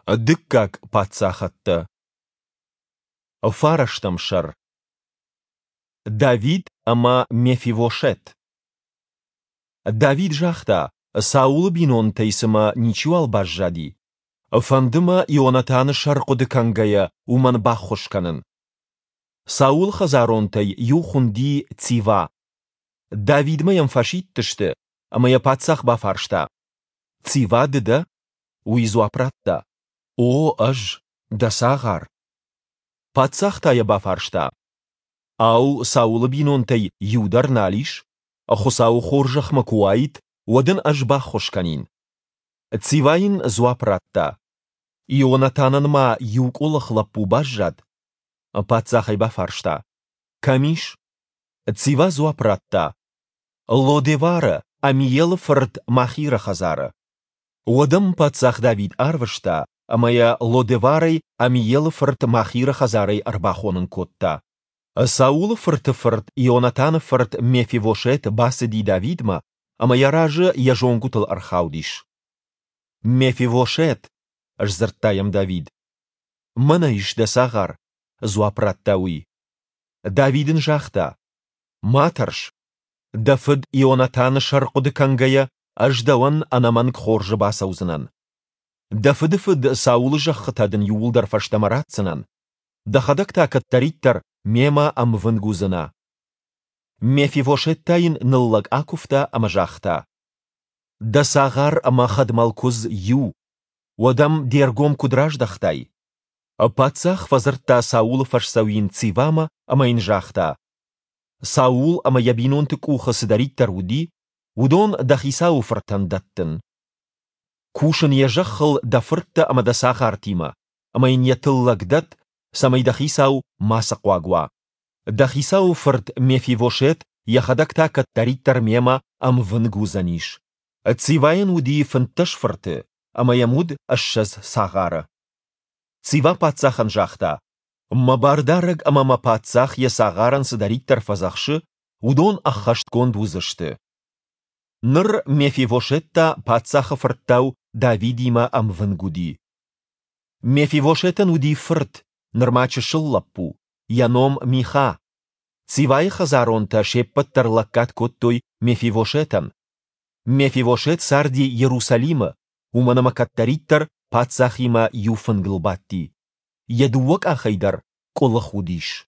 Дыккаг паддзахӕдтӕ. Фарӕстӕм сӕр. Давид ӕмӕ Мефивошет. Давид загъта, Саулы бинонтӕй цымӕ ничиуал баззади? Фӕнды мӕ Ионатаны сӕр хъуыды кӕнгӕйӕ уымӕн баххуыс кӕнын. Саулы хӕдзаронтӕй иу хуынди Цива. Давидмӕ йӕм фӕсидтысты, ӕмӕ йӕ паддзах бафарста: «Цива ды дӕ?» Уый дзуапп радта: «О, ӕз, дӕ цагъар». Паддзах та йӕ бафарста: «Ау, Саулы бинонтӕй иу дӕр нал ис? Хуыцауы хорзӕх мӕ куы уаид, уӕд ын ӕз баххуыс кӕнин». Цива йын дзуапп радта: «Ионатанӕн ма иу къуылых лӕппу баззад». Паддзах ӕй бафарста: «Кӕм ис?» Цива дзуапп радта: «Лодевары, Амиелы фырт Махиры хӕдзары». Уӕд ӕм паддзах Давид арвыста, ӕмӕ йӕ Лодеварӕй Амиелы фырт Махиры хӕдзарӕй ӕрбахонын кодта. Саулы фырты фырт Ионатаны фырт Мефивошет бацыди Давидмӕ ӕмӕ йӕ разы йӕ зонгуытыл ӕрхаудис. «Мефивошет!» — сдзырдта йӕм Давид. «Мӕнӕ ис дӕ цагъар», — дзуапп радта уый. Давид ын загъта: «Ма тӕрс. Дӕ фыд Ионатаны сӕр хъуыды кӕнгӕйӕ, ӕз дӕуӕн ӕнӕмӕнг хорзы бацӕудзынӕн. Дӕ фыдыфыд Саулы зӕххытӕ дын иууылдӕр фӕстӕмӕ ратдзынӕн. Дӕхӕдӕг та кӕддӕриддӕр мемӕ ӕмвынг уыдзынӕ». Мефивошет та йын ныллӕг акуывта ӕмӕ загъта: «Дӕ цагъар ӕмӕ хӕдмӕл куыдз иу, уӕд ӕм де ргом куыд раздӕхтай?» Паддзах фӕдзырдта Саулы фӕсдзӕуин Цивамӕ ӕмӕ йын загъта: «Саул ӕмӕ йӕ бинонты къухы цыдӕриддӕр уыди, уыдон дӕ хицауы фыртӕн дӕттын. Кус ын йӕ зӕххыл дӕ фырттӕ ӕмӕ дӕ цагъартимӕ, ӕмӕ йын йӕ тыллӕг дӕтт, цӕмӕй дӕ хицау мацы хъуаг уа. Дӕ хицауы фырт Мефивошет йӕхӕдӕг та кӕддӕриддӕр мемӕ ӕмвынг уыдзӕнис». Цивайӕн уыди 15 фырты, ӕмӕ йӕм уыд 20 цагъары. Цива паддзахӕн загъта: «Мӕ бардарӕг ӕмӕ мӕ паддзах йӕ цагъарӕн цыдӕриддӕр фӕдзӕхсы, уыдон ӕххӕстгонд уыдзысты». Ныр Мефивошет та паддзахы фырттау Давидимӕ ӕмвынг уыди. Мефивошетӕн уыди фырт, нырма чысыл лӕппу, йӕ ном Миха. Цивайы хӕдзаронтӕ се ппӕт дӕр лӕггад кодтой Мефивошетӕн. Мефивошет царди Иерусалимы, уымӕн ӕмӕ кӕддӕриддӕр паддзахимӕ иу фынгыл бадти. Йӕ дыууӕ къахӕй дӕр къуылых уыдис.